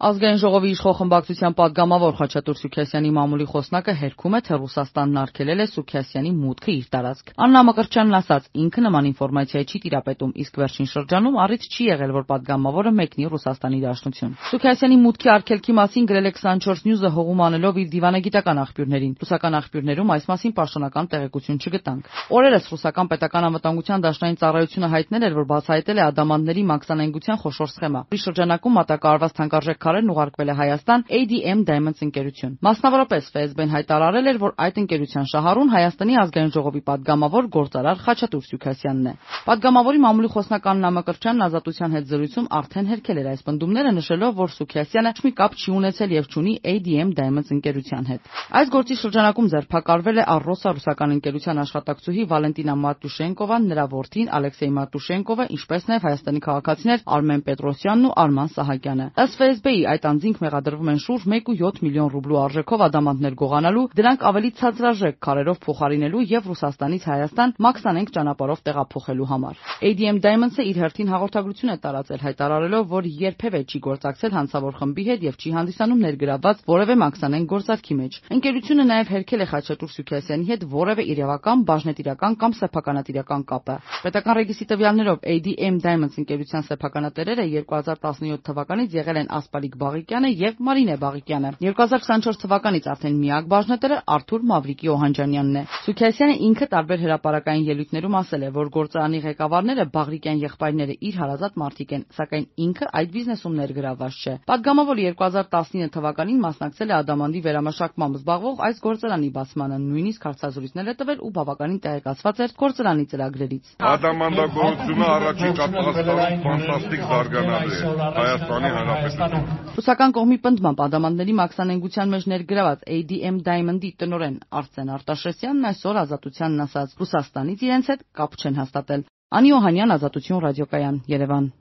Ազգային ժողովի իշխող խմբակցության պատգամավոր Խաչատուր Սուքիասյանի մամուլի խոսնակը հերքում է, թե Ռուսաստանն արգելել է Սուքիասյանի մուտքը իր տարածք։ Աննա Մկրտչյանն ասաց, ինքը նման ինֆորմացիայի չի տիրապետում, իսկ վերջին շրջանում առիթ չի եղել, որ պատգամավորը մեկնի Ռուսաստանի Դաշնություն։ Սուքիասյանի մուտքի արգելքի մասին գրել է 24 News-ը հողում անելով իր դիվանագիտական աղբյուրներին։ Ռուսական աղբյուրներում այս մասին պաշտոնական տեղեկություն չգտանք։ Օրերս ռուսական պետական անվտանգության դաշնային ծառայությունը հայտնել էր, որ բացահայտել է ադամանդների մաքսանենգության խոշոր սխեմա։ Այս շրջանակում մատակարարված թանկարժեք քարերն ուղարկվել է Հայաստան ADM Diamonds ընկերություն։ Մասնավորապես ՖՍԲ-ն հայտարարել էր, որ այդ ընկերության շահառուն Հայաստանի ազգային ժողովի պատգամավոր գործարար Խաչատուր Սուքիասյանն է։ Պատգամավորի մամուլի խոսնակ Աննա Մկրտչյանն Ազատության հետ զրույցում արդեն հերքել էր այս պնդումները, նշելով, որ Սուքիասյանը մի կապ չի ունեցել եւ չունի ADM Diamonds ընկերության հետ։ Այս գործի շրջանակում ձերբակալվել է Առոսա ռուսական ընկերության աշխատակցուհի Վալենտինա Մատյուշենկովան, նրա որդին Ալեքսեյ Մատյուշենկովը, ինչպես նաեւ Հայաստանի քաղաքացիներ Արմեն Պետրոսյանն ու Արման Սահակյանը։ Ըստ ՖՍԲ-ի այդ անձինք մեղադրվում են շուրջ 1.7 միլիոն ռուբլու արժեքով ադամանդներ գողանալու, դրանք ավելի ցածրաժեք քարերով փոխարինելու եւ Ռուսաստանից Հայաստան մաքսանենգ ճանապարհով տեղափոխելու համար։ ADM Diamonds-ը իր հերթին հաղորդագրություն է տարածել, հայտարարելով, որ երբևէ չի գործակցել հանցավոր խմբի հետ եւ չի հանդիսանում ներգրավված որևէ մաքսանենգ գործարքի մեջ։ Ընկերությունը նաեւ հերքել է Խաչատուր Սուքիասյանի հետ որևէ իրավական, բաժնետիրական կամ սեփականատիրական կապը։ Պետական ռեգիստրի տվյալներով ADM Diamonds ընկերության սեփականատերերը 2017 թվականից եղել են Ասպալիկ Բաղիկյանը եւ Մարինե Բաղիկյանը։ 2024 թվականից արդեն միակ բաժնետերը Արթուր Մավրիկի Օհանջանյանն է։ Սուքիասյանը ինքը տարբեր հրապարակային ելույթներում ասել է, որ գործարանի ղեկավարները Բաղրիկյան եղբայրները իր հարազատ մարդիկ են, սակայն ինքը այդ բիզնեսում ներգրավված չէ։ Պատգամավորը 2019 թվականին մասնակցել է ադամանդի վերամշակմամբ զբաղվող այս գործարանի բացմանը, նույնիսկ հարցազրույցներ է տվել ու բավականին տեղեկացված էր գործարանի ծրագրերից։ Ադամանդագործությունը առաջիկա 10 տարում ֆանտաստիկ զարգանալու է Հայաստանի Հանրապետությունում։ Ռուսական կողմի պնդմամբ ադամանդների մաքսանենգության մեջ ներգրաված ADM Diamond-ի տնօրեն Արսեն Արտաշեսյանն այսօր Ազատությանն ասաց. Ռուսաստանից իրենց հետ կապ չեն հաստատել։ Անի Օհանյան, Ազատություն ռադիոկայան, Երևան։